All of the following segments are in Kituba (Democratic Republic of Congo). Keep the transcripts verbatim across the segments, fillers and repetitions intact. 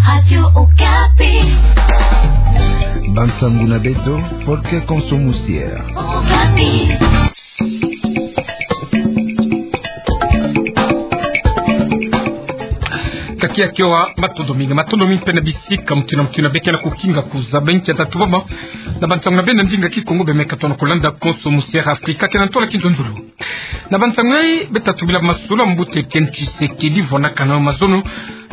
Radio Okapi. Bansangu na beto, por que konso musier? Okapi. Kaki ya kiowa, matondo mingi, matondo mingi mpe na bisika mutu na mutu na beke na kukinga kuzaba nkia tatu baba. Na bansangu na beno na ndinga Kikongo beno me katuka na kulanda konso musier Afrika, ke na ntola kinzonzolo. Na bansangu yai, beta tubila masolo ya mbuta Etienne Tshisekedi vwanakana mazono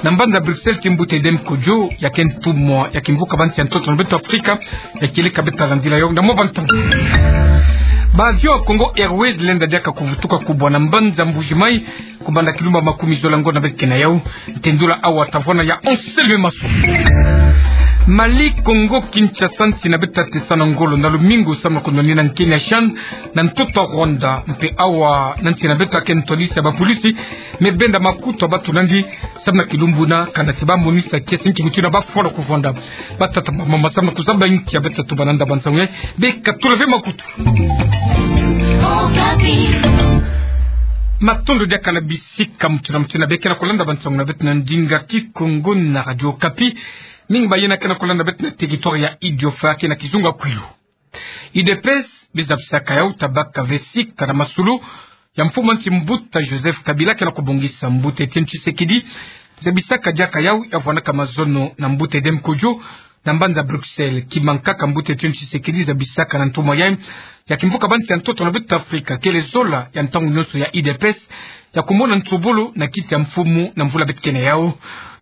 na mbanza Bruxelles ti mbuta Edem Kojo, ya ke ntumwa ya kimvuka bansi ya ntoto na beto Afrika, ya kieleka beta landila yo na mwa bantangu. Ba avion ya Congo Airways lenda diaka kuvutuka kubwa na mbanza Mbuji Mayi, kubanda kilumbu makumi zole na ngo na beto ke na yau. Ntendula awa ta vwana ya Anselme Maswa. Mali, Congo Kinshasa, nsi na beto ta tesa na ngolo na lumingu samu na kunwanina nkeni ya CHAN na ntoto Rwanda, mpe awa na nsi na beto ke ntwadisi ya bapolisi me benda makutu ya bato nandi samu na kilumbu na kana ti ba monisa kiese nki mutu yina ba fwana kuvwanda. Batata, bamama, samu na kuzaba nkia beta tuba na nda bansangu yai, beka tula ve makutu. Matondo diaka na bisika mutu na mutu na beke na kulanda bansangu na beto na ndinga Kikongo na Radio Okapi. Mingi ba yina ke na kulanda beto na territoire ya Idiofa ke na kizunga Kwilu. U D P S, beza bisaka yau ta baka ve sika na masolo ya mfumu ya nsi mbuta Joseph Kabila ke na kubongisa mbuta Etienne Tshisekedi. Zabisaka diaka yau ya vwanaka mazono na mbuta Edem Kojo na mbanza Bruxelles. Kima nkaka mbuta Etienne Tshisekedi zabisaka na ntumwa yai ya kimvuka bansi ya ntoto na beto Afrika, kele zola ya ntangu nyonso ya U D P S ya kumona nsobolo na kiti ya mfumu na mvula beto ke na yau.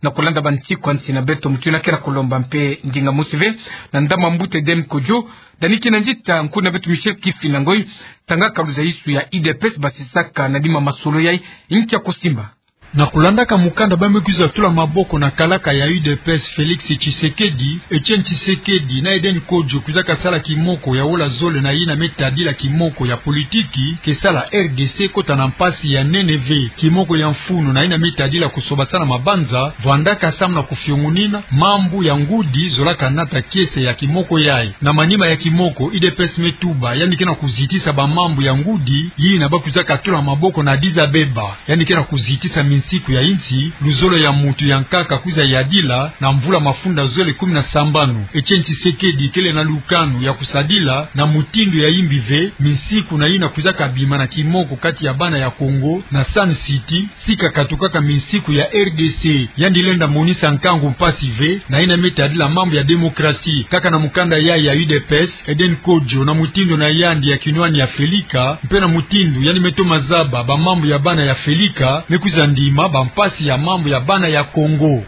Na kulanda bansiku ya nsi na beto, mutu yina ke na kulomba mpe ndinga mosi ve na ndambu ya mbuta Edem Kojo, Daniki na nzita, nkuna beto Michel Kifina Ngoy, tangaka luzaisu ya U D P S basisaka na dima masolo yai, nkia kusimba. Na kulandaka mukanda ba me kwiza tula maboko na kalaka ya U D P S Félix Tshisekedi, Etienne Tshisekedi na Eden Kojo kwizaka sala kimoko ya wola zole na yina me tadila kimoko ya politiki ke sala R D C kota na mpasi ya nene ve. Kimoko ya mfunu na yina me tadila kusobasana mabanza, vwandaka samu na kufiongunina mambu ya ngudi zolaka nata kiese ya kimoko yai. Na manima ya kimoko, U D P S me tuba yandi ke na kuzitisa bamambu ya ngudi yina ba kwizaka tula maboko na Addis Abeba. Yandi ke na kuzitisa minsiku ya insi, luzolo ya mutu ya nkaka kwiza yadila na mvula mafunda zole kumi na sambanu. Etienne Tshisekedi kele na lukanu ya kusadila na mutindu ya imbi ve minsiku na yina kwizaka bima na kimoko kati ya bana ya Congo na Sun City, sika katukaka minsiku ya R D C. Yandi lenda monisa nkangu mpasi ve na yina me tadila mambu ya démocratie. Kaka na mukanda yai ya U D P S, Eden Kojo, na mutindu na yandi ya kinwani ya Felika, mpe na mutindu yandi me toma zaba bamambu ya bana ya Felika, me kwiza ndima bampasi ya mambu ya bana ya Congo.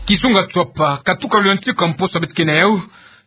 Kizunga Tswapa, katuka lwentika mposo beto ke na yau,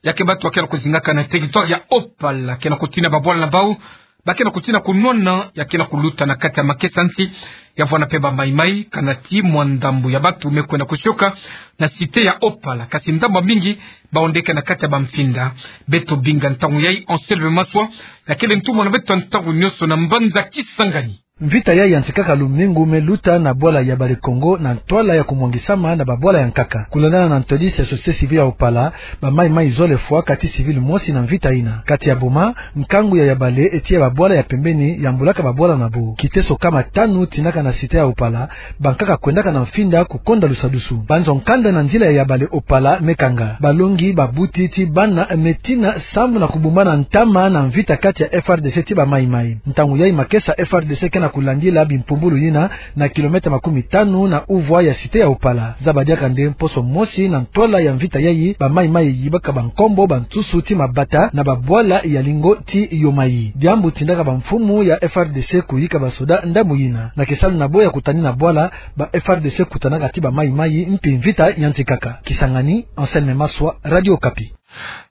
ya ke bato ya ke na kuzingaka na territoire ya Opala ke na kutina babwala na bau, ba ke na kutina kunwana, ya ke na kuluta na kati ya makesa nsi, ya vwana mpe ba Mai-Mai, kana ti mwa ndambu ya bato me kwenda kusioka na cité ya Opala, kasi ndambu ya mingi ba ondeke na kati ya bamfinda. Beto binga ntangu yai Anselme Maswa, ya kele ntumwa na beto ntangu nyonso na mbanza Kisangani. Mvita yai yantikaka lumingu me luta na bwala ya Bale Kongo na ntwala ya kumwangisama na babwala ya nkaka. Kulandana na ntwadisi ya société civile ya Opala, ba Mai-Mai zole fwa kati civil mosi na mvita yina. Kati ya boma, nkangu ya ya bale eti ya babwala ya pembeni yambulaka babwala na bo. Kiteso kama tanu tinaka na cité ya Opala, bankaka kwendaka na mfinda kukonda lusadusu. Banzo nkanda na nzila ya ya bale Opala me kanga. Balongi, babuti ti bana me tina samu na kubumbana ntama na mvita kati ya F R D C ti ba Mai-Mai. Ntangu yai makesa F R D C ke na kulandila bimpumbulu yina na kilomètre makumi tanu na uvwa ya cité ya Opala. Zaba diaka nde mposo mosi na ntwala ya mvita yai, ba Mai-Mai yibaka bankombo, bansusu ti mabata na babwala ya lingo ti Yomai. Diambu tindaka bamfumu ya F R D C kuyika basoda ndambu yina. Na kisalu na bo ya kutanina bwala, ba F R D C kutanaka ti ba Mai-Mai mpi mvita yantikaka. Kisangani, Anselme Maswa, Radio Okapi.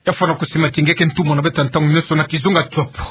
Ya fwana kusima ti nge ke ntumwa na beto ntangu nyonso na kizunga Tswapa.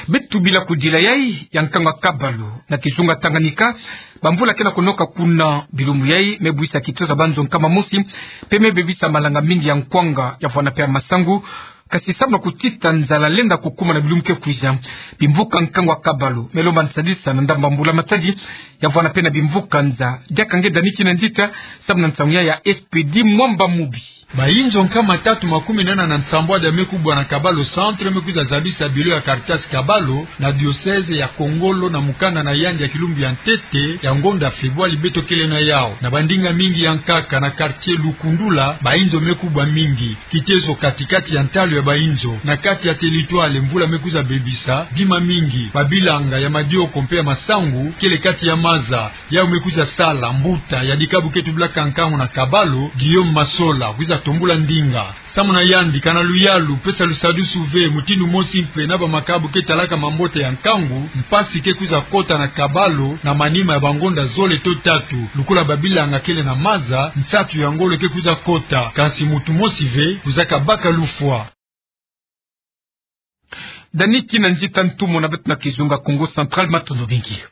Beto bila kudila yai ya nkangu ya Kabalu na kizunga Tanganyika, bamvula ke na kunoka kuna. Bilumbu yai me bwisa kitosa banzo nkama mosi, mpe me bebisa malanga mingi ya nkwanga, ya vwana mpe ya masangu. Kasi samu na kutita nzala lenda kukuma na bilumbu ke kwiza, bimvuka nkangu ya Kabalu me lomba nsadisa na ndambu ya mbula matadi, ya vwana mpe na bimvuka nza. Diaka nge Daniki na nzita samu na nsangu yai ya Expédit Mwamba Mubi. Bayinzo nkama tatu makumi nana na nsambwadi ya me kubwa na Kabalo Centre me kwiza zabisa bilo ya Caritas Kabalo na diocèse ya Kongolo na mukanda na yandi ya kilumbu ya ntete ya ngonda Febwali beto kele na yau. Na bandinga mingi ya nkaka na quartier Lukundula, bayinzo me kubwa mingi. Kitezo kati-kati ya ntalu ya bayinzo. Na kati ya territoire, mvula me kwiza bebisa bima mingi. Babilanga ya madioko mpe ya masangu kele kati ya maza. Yau me kwiza sala mbuta ya dikabu ke tubilaka nkangu na Kabalo, Guillaume Masola, kwiza tombula ndinga. Samu na yandi, kana luyalu pesa lusadusu ve mutindu mosi mpe na bamakabu ke talaka mambote ya nkangu, mpasi ke kwiza kota na Kabalo na manima ya bangonda zole to tatu. Lukula babilanga kele na maza, nsatu ya ngolo ke kwiza kota, kansi mutu mosi ve kwizaka baka lufwa. Dani Kinanzi, ntumwa na beto na kizunga Kongo Central, matondo mingi.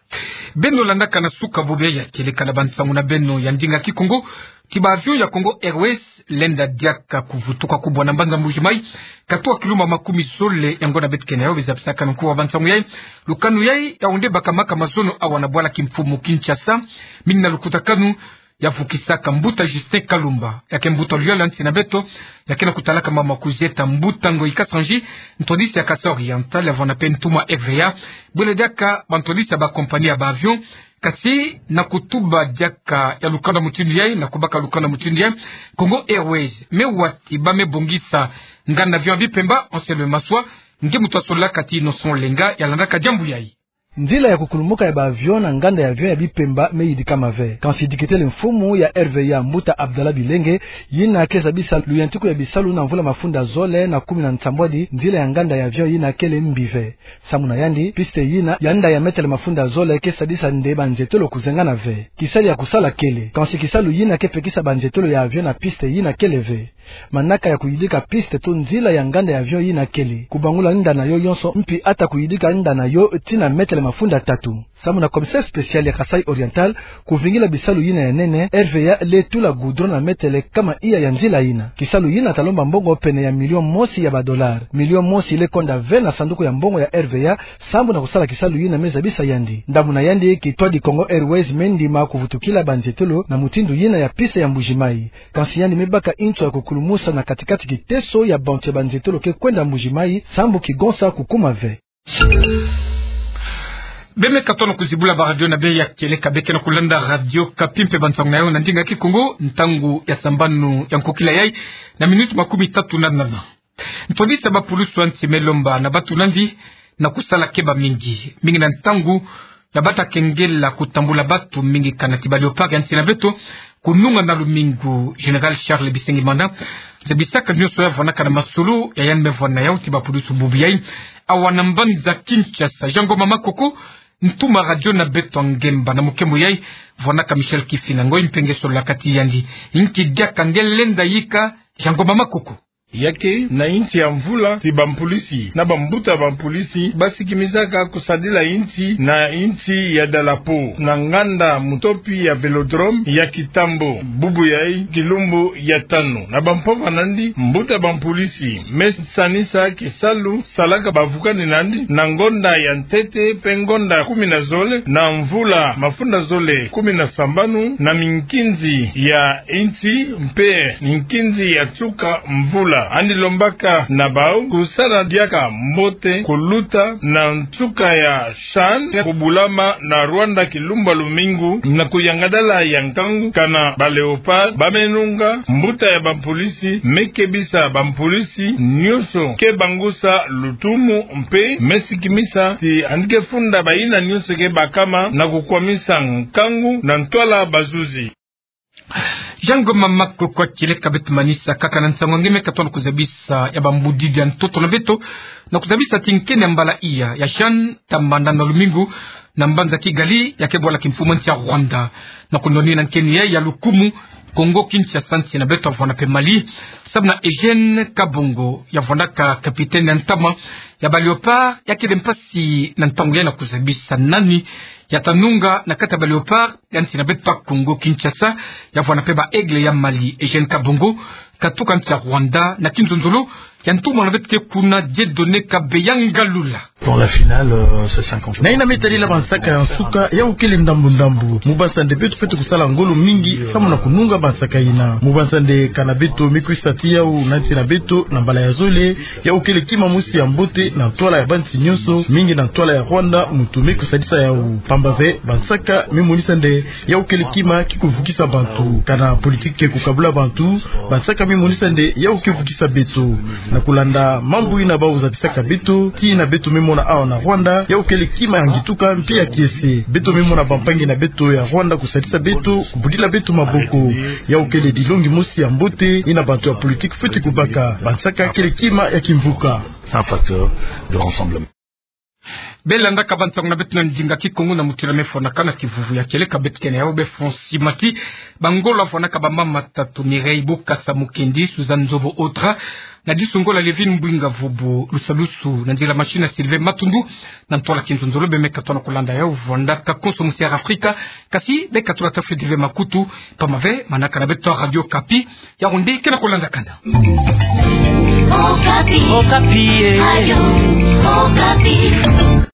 Beno landaka na suka bobo ya kieleka na bansangu na beno ya ndinga Kikongo, ti ba avion ya Congo Airways lenda diaka kuvutuka kubwa na mbanza Mbuji-Mayi, katuka kilumbu makumi zole ya ngonda beto ke na yau. Beno zabisaka nkuwa bansangu yayi. Lukanu yayi ya onde baka maka mazono awa na bwala kimfumu Kinshasa, mingi na lukutakanu ya vukisaka mbuta Justin Kalumba, ya ke mbuta luyalu ya nsi na beto, ya ke na kutalaka mama Kuzieta Mbuta Ngoyi Kasanji, ntwadisi ya Kasaï Oriental, ya vwanda mpe ntumwa R V A, bwele diaka bantwadisi ya ba compagnie ya ba avion. Kasi na kutuba diaka ya lukanu mutindu yayi, na kubaka lukanu mutindu yayi, Congo Airways me wati ba me bongisa nganda avion ya Bipemba, Anselme Maswa, nge mutu ya solaka ti Innocent Olenga ya landaka diambu yayi. Nzila ya kukulumuka ya ba avion na nganda ya avion ya Bipemba me yidikama ve. Kansi diketele mfumu ya R V A, mbuta Abdallah Bilenge, yina ke zabisa luyantiku ya bisalu na mvula mafunda zole na kumi na nsambwadi, nzila ya nganda ya avion yina kele mbi ve. Samu na yandi, piste yina ya nda ya metele mafunda zole ke sadisa nde banzietolo kuzengana ve. Kisalu ya kusala kele. Kansi kisalu yina ke pekisa banzietolo ya avion na piste yina kele ve. Manaka ya kuyidika piste to nzila ya nganda ya avion yina kele kubangula nda na yo yonso, mpi ata kuyidika nda na yo tii na metele mafunda tatu. Samu na commissaire spécial ya Kasaï Oriental, kuvingila bisalu yina ya nene, R V A le tula goudron na metele kama iya ya nzila yina. Kisalu yina ta lomba mbongo pene ya million mosi ya ba dollars. Million mosi le konda ve na sanduku ya mbongo ya R V A, sambu na kusala kisalu yina me zabisa yandi. Ndambu na yandi, kitwadi Congo Airways me ndima kuvutukila banzietolo na mutindu yina ya piste ya Mbuji-Mayi. Kansi yandi me baka nzo ya kukulumusa na katikati kiteso ya bantu ya banzietolo ke kwenda Mbuji-Mayi, sambu kigonsa kukuma ve. Beno me katono kuzibula ba radio na beno ya kieleka, beno ke na kulanda Radio Okapi mpe bansangu na yo na ndinga Kikongo, ntangu ya sambanu ya nkokila yayi na minutes makumi tatu na nana. Ntwadisi ya bapulusu ya nsi me lomba na bantu na mvi na kusala keba mingi, mingi na ntangu ya bata kengela kutambula bantu mingi kana ti ba Léopards ya nsi na beto, kununga na lumingu. Général Charles Bisengimana zabisaka nionso ya vwanaka na masolo ya yandi me vwana yau ti bapulusu bubu yayi awa na mbanza Kinshasa. Jean Ngoma Makoko, ntuma radio na beto ya ngemba na mukemo yayi, vwanaka Michel Kifinda Ngoyi mpe nge solaka ti yandi. Inki diaka nge lenda yika, Jean Ngoma Makoko? Ya ke na insi ya mvula ti bampulisi na bambuta bampulisi basikimisaka kusadila insi na insi ya dalapo na nganda mutopi ya Vélodrome ya Kitambo, bubu yayi kilumbu ya tanu. Na bampova nandi, mbuta bampulisi me sanisa kisalu salaka bavukani nandi na ngonda ya ntete mpe ngonda kumi na zole na mvula mafunda zole kumi na sambanu na minkinzi ya insi mpe minkinzi ya nsuka mvula. Yandi lombaka na bau kusala diaka mbote, kuluta na nsuka ya CHAN ya kubulama na Rwanda kilumbu ya lumingu na kuyangadala ya nkangu kana ba Léopards ba me nunga, mbuta ya bampulisi me kebisa bampulisi nionso ke bangusa lutumu mpe me sikimisa ti yandi ke funda bayina nionso ke bakama na kukwamisa nkangu na ntwala bazuzi. Jean Ngoma Makoko, kieleka beto manisa kaka na nsangu nge me katono kuzabisa ya bambudidi ya ntoto na beto, na kuzabisa ti nkeni ya mbala iya ya CHAN ta manda na lumingu na mbanza Kigali, ya ke bwala kimfumu nsi ya Rwanda. Na kunwanina nkeni yayi ya lukumu, Congo Kinshasa nsi na beto vwana mpe Mali, samu na Eugène Kabongo ya vwanaka capitaine ya ntama ya ba Léopards, ya kele mpasi na ntangu ya na kuzabisa nani ya ta nunga na kati ya ba Léopards ya nsi na beto Congo Kinshasa, ya vwanda mpe ba Aigles ya Mali. Eugène Kabongo, katuka nsi ya Rwanda, na kinzonzolo ya ntumwa na beto ke kuna Dieudonné Kabeya Ngalula. Dans la finale, euh, c'est cinquante. Na yina me tadila ba nsaka ya nsuka, yawu kele ndambu-ndambu. Mu banza nde beto fwete kusala ngolo mingi, samu na kununga ba nsaka yina. Mu banza nde kana beto me kwisa tii yawu na nsi na beto, na mbala ya zole, yawu kele kima mosi ya mbote, na ntwala ya bansi nyonso, mingi na ntwala ya Rwanda, muntu me kusadisa yawu. Pamba ve, ba nsaka me monisa nde yawu kele kima ki kuvukisa bantu. Kana politique ke kukabula bantu, ba nsaka me monisa nde yawu ke vukisa beto. Na kulanda mambu yina bawu zabisaka beto, tii yina beto me mona awa na Rwanda, yawu kele kima ya ngituka mpe ya kiese. Beto me mona bampangi na beto ya Rwanda kusadisa beto, kubudila beto maboko. Yawu kele dilongi mosi ya mbote, yina bantu ya politique fwete kubaka. Ba nsaka kele kima ya kimvuka. Un facteur de rassemblement. Bela ndaka bansango na beto na ndinga Kikongo na mutu yina me fwanaka na kivuvu ya kieleka, beto ke na yawu be Francis Mati. Bangolo vwanaka ba mama tatu, Mireille Bokassa Mukendi, Suzanne Nzobo Autran, na disu ngolo Lévine Mbwinga Vubu, lusalusu na nzila machine ya Sylvain Matundu. Na ntwala kinzonzolo be me katuka na kulanda yawu, vwanda ka konso musi ya Afrika, kasi be katuka ta fwete ve makutu, pamba ve manaka na beto Radio Okapi, ya nde ke na kulanda kanda. Okapi. Okapi, eh. Radio Okapi.